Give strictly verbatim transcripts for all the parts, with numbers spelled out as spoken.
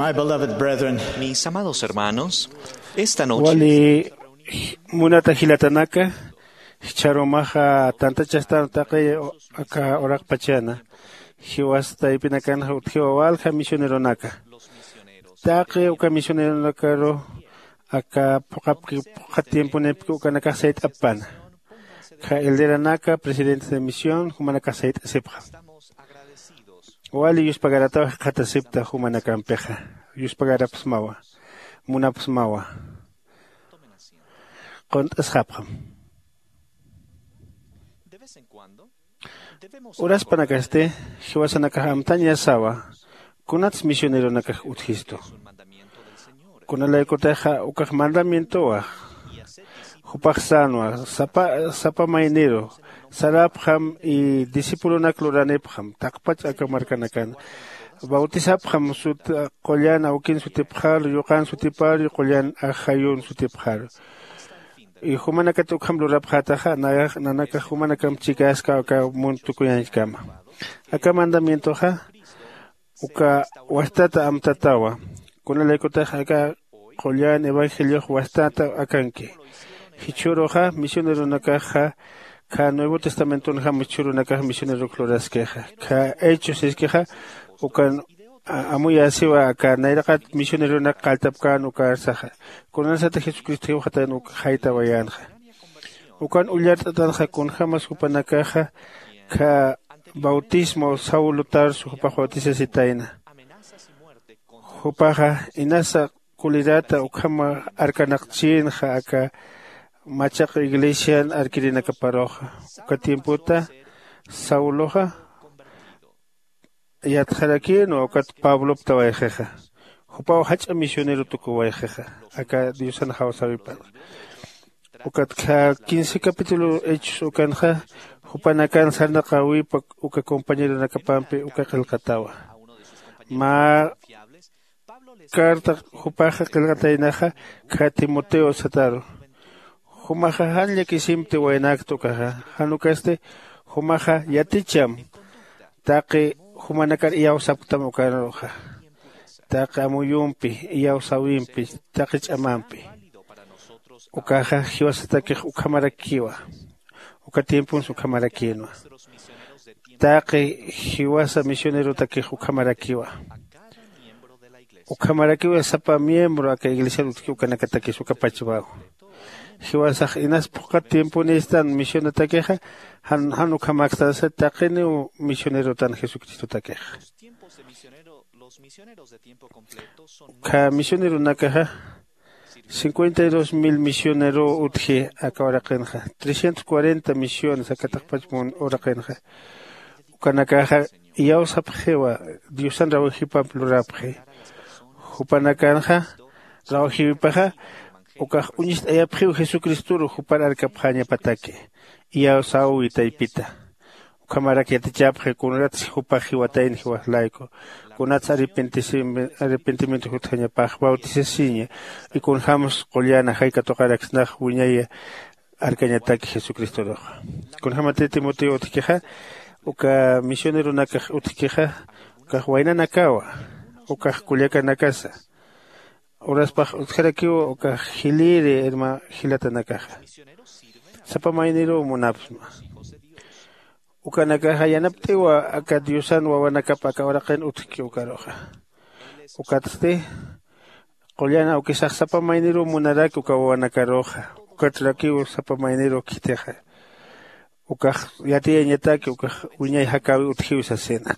My beloved brethren, mis amados hermanos, esta noche wali munata jilatanaka, jichharumaxa tantachastan taqi aka uraqpachana, jiwas taypinakanxa utjiwa walja misioneronaka. Taqi uka misioneronakaru aka phuqapki phuqha tiemponipki ukanakax sayt'apana. Kha elderanaka, presidentes de misión, jumanakax sayt'asipxam. Wali yuspagarataw jikxatasipta jumanakampixa. Yuspagarapsmawa, munapsmawa. Qunt'asxapxam. Uraspanakasti jiwasanakax amtañasawa kunats misioneronakax utjistu. Kunalaykutixa ukax mandamientowa. Jupax sänwa sapa sapa mayniru sarapxam y discipulonak luranipxam taqpach aka markanakan. Bautisapxam sut qullan awkin sutipxaru, yuqan sutipar, qullan ajayun sutipxaru. Y jumanakat ukham lurapxätaxa nanakax jumanakamp chikaska aka munt tukuyañchkama. Aka mandamientoxa uka wastata amtatawa. Kunalaykutax aka qullan evangeliox wastata akanki. Jichhüruxa misioneronakaxa kha nuevo testamentonjam jichhürunakax misionerok luraskixa kha hechos iskixa ukan amuyäsiwa aka nayraqat misioneronak qalltapkän ukarsaxa. Kunasata jesucristo jiwxatayan uk jaytawayänxa. Ukan ullart'atanxa kunjämas jupanakaxa kha bautismo saulo tarso jupax bautisasitayna. Jupaxa inasa kulirata ukhama arkanaqchïnxa aka machaq iglesian arkirinakaparuxa. Uka tiempota sauloxa yatxarakïnwa ukat pabloptawayxixa. Jupaw jach'a misionero tukuwayxixa aka diosan jawsäwipanxa. Ukat kha quince capítulo hechos ukanxa jupanakan sarnaqäwipa uka compañeronakapampi uka qillqatawa. Mä carta jupaxa qillqataynaxa kha timoteo sataru. Jumaxa jan llakisimti waynakta ukaxa jan ukasti jumaxa yaticham taqi jumanakar iyawsapktam ukaruxa. Taqi amuyumpi iyawsäwimpi taqi ch'amampi ukaxa jiwasatakix ukhamarakiwa. Uka tiempons ukhamarakïnwa. Taqi jiwasa misionerotakix ukhamarakiwa. Ukhamarakiwa sapa miembro aka iglesiar utjki ukanakatakis uka pachwaw. Jiwasax inas phuqhat tiemponistan misionatakixa jan jan ukhamakstasa taqiniw misionerotan jesucristotakixa. Ukha misioneronakaxa cincuenta y dos mil misionerow utji aka uraqinxa trescientos cuarenta misiones aka taqpach uraqinxa. Ukanakaxa iyawsapxiwa diosan rawajipamp lurapxi. Jupanakanxa rawajiwipaxa ukax uñist'ayapxiw jesucristoru jupar arkapxäñapataki. Iyawsäwi taypita. Ukhamarak yatichapxi kunatsi jupax jiwatayna jiwax layku kunatsi arrepentimiento jutjañapax bautisasiña. Y kunjämsa qullan ajay katuqaraksnax wiñaya arkañataki jesucristoruxa. Kunjämatï timoteo utjkixa uka misioneronakax utjkixa ukax waynanakawa ukax kullakanakasa. Uraspax utjarakiw ukax jiliri irma jilatanakaxa sapa mayniruw munapsma. Ukanakaxa yanapt'iwa aka diosan wawanakap aka uraqin utjki ukaruxa. Ukatsti qullan awkisax sapa mayniruw munaraki uka wawanakaruxa. Ukatrakiw sapa mayniruw khitixa ukax yatiyañataki ukax wiñay jakäwi utjiw sasina.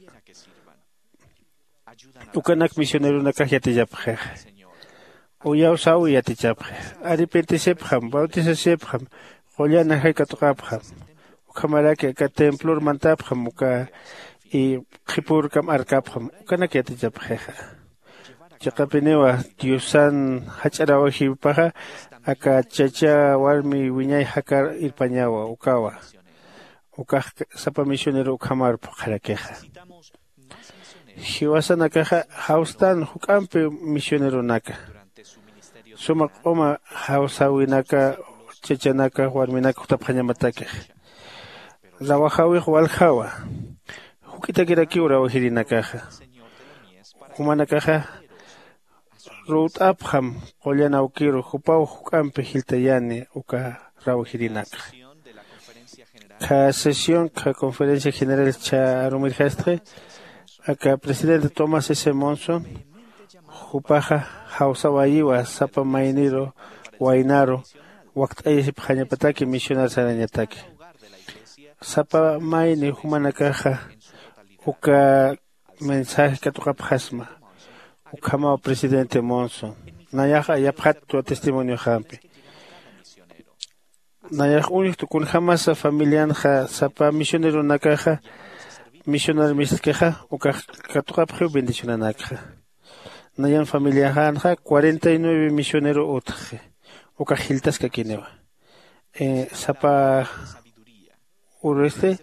Ukanak misioneronakax yatichapxixa. Uyawsäwi yatichapxi. Arrepentisipxam bautisasipxam qullan ajay katuqapxam. Ukhamaraki aka templor mantapxam uka y qhipürkam arkapxam ukanak yatichapxixa. Chiqapiniwa diosan jach'a rawajiwipaxa aka chacha warmi wiñay jakar irpañawa ukawa. Ukax sapa misionero ukhamar phuqharakixa. Jiwasanakaxa jawstan juk'ampi misioneronaka suma q'uma jawsäwinaka chachanaka warminaka jutapxañamatakix. Rawajäwix waljawa juk'itakirakiw rawajirinakaxa. Jumanakaxa ruwt'apxam qullan awkiru jupaw juk'ampi jiltayani uka rawjirinakxa. Kha sesión kha conferencia general chha arumirjastxi, aka presidente tomás s monson jupaxa jawsawayiwa sapa mayniru waynaru wakt'ayasipxañapataki misionar sarañataki. Sapa mayni jumanakaxa uka mensaje katuqapxasma. Ukhamaw presidente monson nayaxa yapxatwa testimonioxampi. Nayax uñjtu kunjämasa familianxa sapa misioneronakaxa misionar mistkixa ukax katuqapxiw bendicionanakxa. Nayan familiaxänxa cuarenta y nueve misionero utjxi. Ukax jiltaskakiniwa sapa ururixti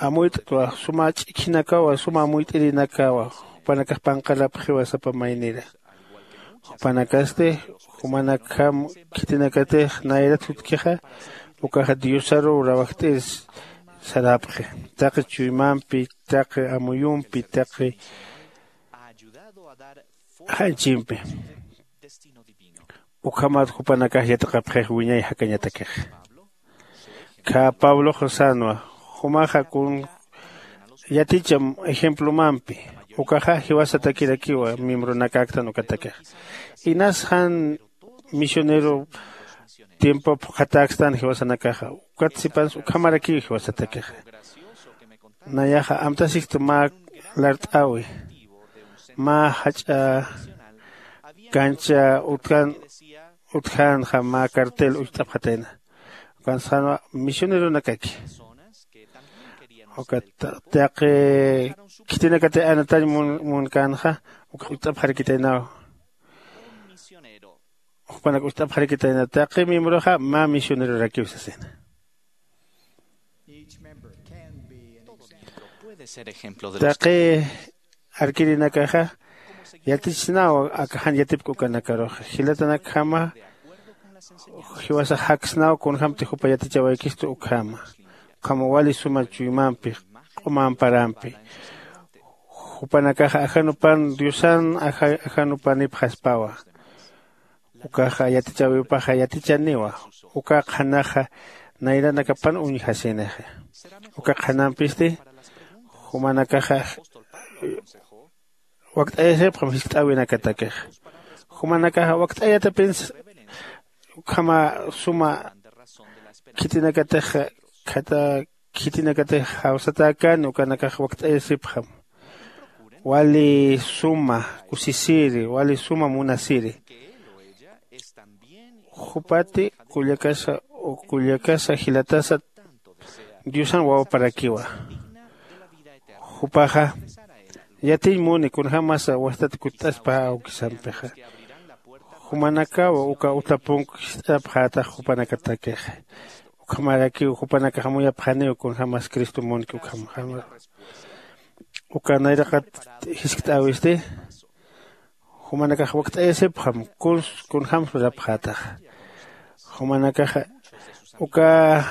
amuyt'twa suma ch'ikhinakawa suma amuyt'irinakawa. Jupanakax panqarapxiwa sapa maynira jupanakasti jumanakjam khitinakatix nayrat jutkixa ukaxa diosaruw rawajt'ir sarapxi. Taqi chuymampi taqi amuyumpi taqi janchimpi ukhamat jupanakax yatiqapxix wiñay jakañatakix. Kha pabloxa sänwa jumaxa kun yaticham ejemplomampi ukaxa jiwasatakirakiwa miembronakäktan ukatakixa. Inas jan misionero tiempop phuqhatäkstan jiwasanakaxa ukat sipansa ukhamarakiw jiwasatakixa. Nayaxa amtasixta mä lart'äwi mä jach'a kancha utjän utjänxa mä cartel ucht'apxatayna. Ukan sänwa misioneronakaki ukat taqi khitinakatix anatañ munkänxa ukax ucht'apxarakitaynawa. Jupanak ucht'apxarakitayna taqi miembroxa mä misionerorakiw sasina. Taqi arkirinakaxa yatichisnaw aka jan yatipk ukanakaruxa jilatanakjama jiwasax jaksnaw kunjämti jupa yatichawaykistu ukhama. Ukhama wali suma chuymampi q'uma amparampi jupanakaxa ajanupan diosan ajanupanipxaspawa. Ukaxa yatichäwipaxa yatichaniwa uka qhanaxa nayranakapan uñjasinixa. Uka qhanampisti jumanakaxa wakt'ayasipxam jiskt'äwinakatakixa. Jumanakaxa wakt'ayatapinsa ukhama suma khitinakatix khata khitinakatix jawsatäkäni ukanakax wakt'ayasipxam wali suma kusisiri wali suma munasiri. Jupati kullakasa kullakasa jilatasa diosan wawaparakiwa. Jupaxa yatiñ muni kunjämasa wastat kutt'aspa awkisampixa. Jumanakaw uka utapunk jist'apxätax jupanakatakixa. Ukhamarakiw jupanakax amuyapxaniw kunjämas cristo munki ukham uka nayraqat jiskt'äwisti jumanakax wakt'ayasipxam kuns kunjämsa lurapxätaxa. Jumanakaxa uka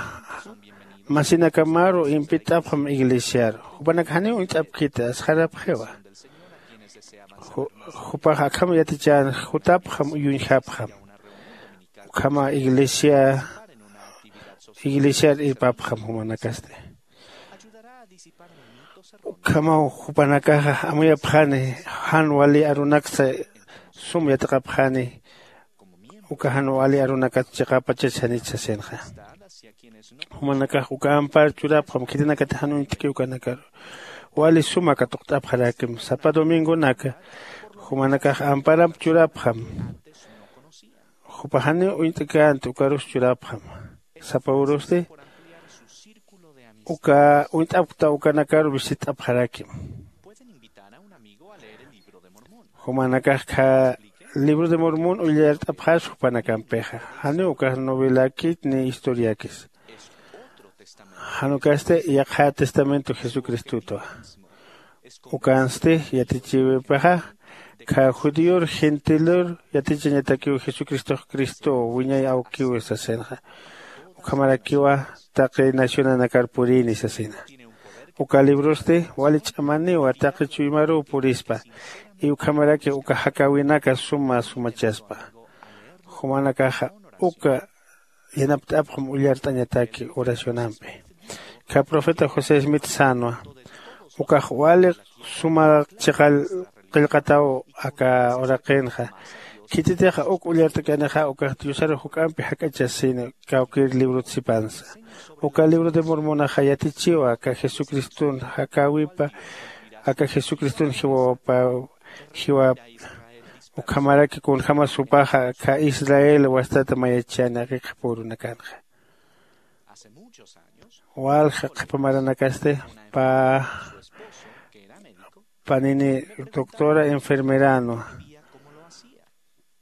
masinakamaru impit'apxam iglesiaru jupanakax janiw uñt'apkiti asxarapxiwa. Jupax akham yatichän jutapxam uyuñjapxam ukhama iglesia iglesiar irpapxam jumanakasti. Ukhamaw jupanakaxa amuyapxani jan wali arunaksa sum yatiqapxani uka jan wali arunakat chiqapachach janich sasinxa. Jumanakax uka ampar churapxam khitinakatix jan uñt'ki ukanakaru wali suma katuqt'apxarakim sapa domingonaka jumanakax amparamp churapxam. Jupax janiw uñt'känti ukarus churapxam sapa urusti uka uñt'apkta ukanakaru visit'apxarakim. Jumanakax kha libro de mormón ullart'apxas jupanakampixa janiw ukax novelakit ni historiakis. Jan ukasti yaqha testamento jesucristotwa. Ukansti yatichiwipaxa kha judíor gentilor yatichañatakiw jesucristox cristow wiñay awkiwi sasinxa. Ukhamarakiwa taqi nacionanakar purini sasina. Uka librosti wali ch'amaniwa taqi chuymaruw purispa. Iwkhamaraki uka jakäwinaka suma sumachaspa. Jumanakaxa uka yanapt'apxam ullart'añataki oracionampi. Kha profeta josé smith sänwa, ukax wali suma chiqall qillqataw aka uraqinxa. Khititixa uk ullart'kanixa ukax diosar juk'ampi jak'achasina. Kawkïr librot sipansa uka libro de mormonaxa yatichiwa aka jesucriston jakäwipa aka jesucriston jiwapaw jiwap. Ukhamaraki kunjämas jupaxa aka israel wastata mayachani aka qhipürunakanxa. Walja qhipamaranakasti pä panini doctora enfermeranwa.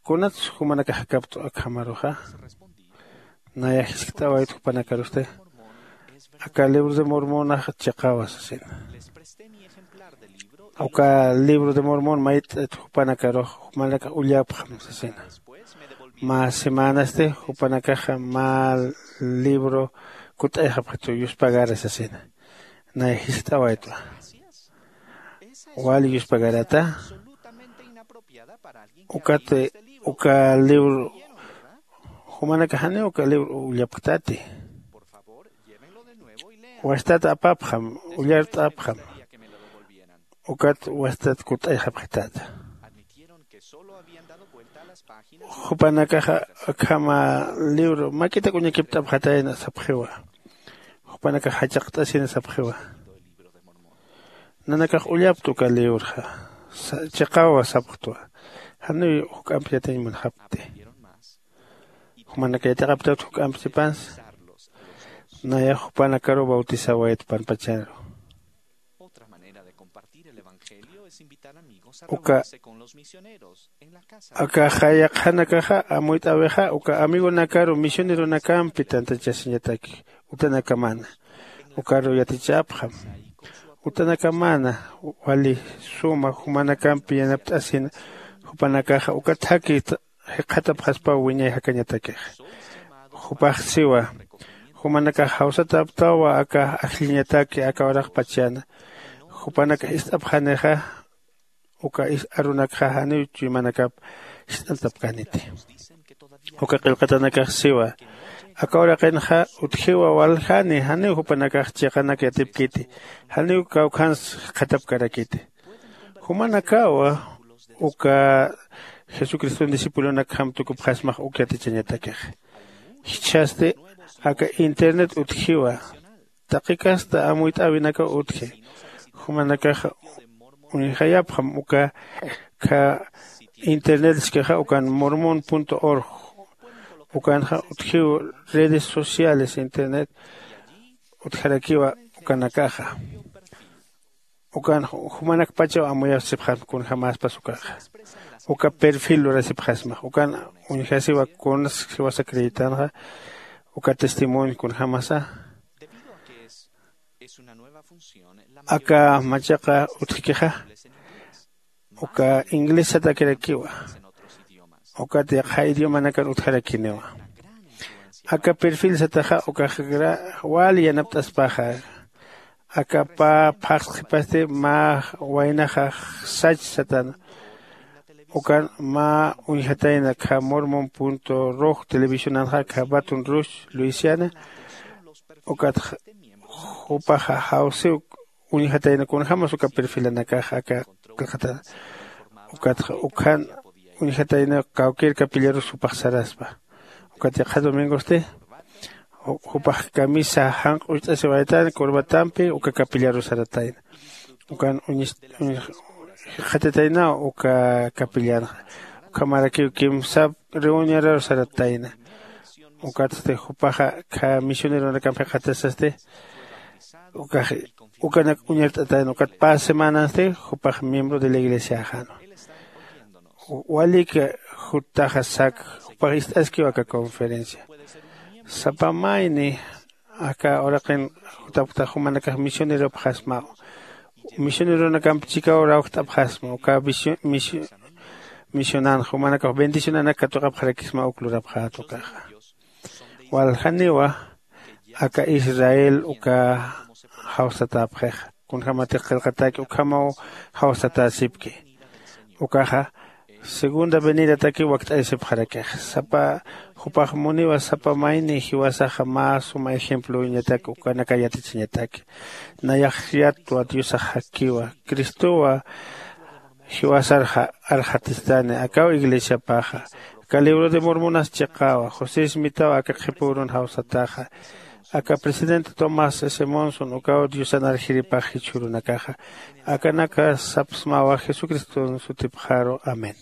Kunatsa jumanakax jakapt'u akhamaruxa? Naya jiskt'awayt jupanakarusti aka libro de mormonax chiqawa sasina. Uka libro de mormon mayt'it jupanakarux jumanakax ullapxam sasina. Mä semänasti jupanakaxa mä libro kut'ayxapxitu yuspagara sasina. Nay jist'awaytwa wali yuspagarata. Ukat uka libro jumanaka janiw uka libro ullapktati. Wastat apapxam ullart'apxam. Ukat wastat kut'ayxapxitata. Jupanakaxa akhama libro mak'itak uñakipt'apxatayna sapxiwa. Jupanakax jachaqt'asina sapxiwa. Nanakax ullaptu uka librxa chiqawa sapxtwa. Janiw juk'amp yatiñ munxapkti? Jumanaka yatiqaptawt juk'amp sipansa. Nayax jupanakaruw bautisawayt panpachanru. Uka aka jayaqhanakaxa amuyt'äwixa uka amigonakaru misioneronakampi tantachasiñataki utanakamana. Ukaru yatichapxam utanakamana wali suma jumanakampi yanapt'asina. Jupanakaxa uka thakhi jikxatapxaspaw wiñay jakañatakixa. Jupax siwa jumanakax jawsatäptawa aka ajlliñataki aka uraqpachana. Jupanakax ist'apxanixa uka arunakxa janiw chuymanakap ist'antapkäniti. Uka qillqatanakax siwa aka uraqinxa utjiwa waljani janiw jupanakax chiqanak yatipkiti. Janiw kawkhans jikxatapkarakiti. Jumanakawa uka jesucriston discipulonakjam tukupxasmax uk yatichañatakixa. Jichhasti aka internet utjiwa. Taqi kasta amuyt'äwinakaw utji. Jumanakax uñjayapxam uka kha internet iskixa ukan mormon org. Ukanxa utjiw redes sociales internet utjarakiwa ukanakaxa. Ukan jumanakpachaw amuyasipxasma kunjämäspas ukaxa. Uka perfil lurasipxasmax ukan uñjasiwa kunas jiwasa creyitanxa. Uka testimonio kunjämasa aka machaqa utjkixa uka inglés satakirakiwa. Ukat yaqha idiomanakan utjarakiniwa. Aka perfil sataxa ukax wali yanapt'aspaxa. Aka pä phaxsqhipasti mä waynaxa sach satana. Ukan mä uñjatayna kha mormon roj televisionanxa kha baton rouge luisiana. Ukat jupaxa jawsiw uñjatayna kunjämas uka perfilanakax aka qillqatana. Ukatxa ukkhan uñjatayna kawkïr capillarus jupax saraspa. Ukat yaqha domingosti jupax camisa janq'ucht'asiwaytan corbatampi uka capillarus saratayna. Ukan uñis jikxatataynaw uka capillanxa. Ukhamarakiw kimsap reunionaru saratayna. Ukatsti jupaxa kha misioneronakamp jikxatasasti ukax ukanak uñart'atayna ukat pä semanansti jupax miembro de la iglesiaxanwa. Waliki juttaxa sak jupax ist'askiw aka conferencia. Sapa mayni aka uraqin jutapkta jumanakax misioneropxasmaw. Misioneronakamp chikaw rawjt'apxasma uka misionan jumanakax bendicionanak katuqapxarakisma uk lurapxät ukaxa. Waljaniwa aka israel uka jawsatäpxixa kunjämatix qillqatäki ukhamaw jawsatäsipki. Ukaxa segunda venidataki wakt'ayasipxarakixa sapa. Jupax muniwa sapa mayni jiwasaxa mä suma ejemplowiñatak ukanaka yatichiñataki. Nayax yatwa diosax jakkiwa. Cristowa jiwasar arxatistani akaw iglesiapaxa. Aka libro de mormonas chiqawa josé smitaw aka qhipa urun jawsataxa. Aka presidente tomás s monson ukaw diosan arjiripax jichhürunakaxa. Akanaka sapsmawa jesucriston sutipxaru. Amén.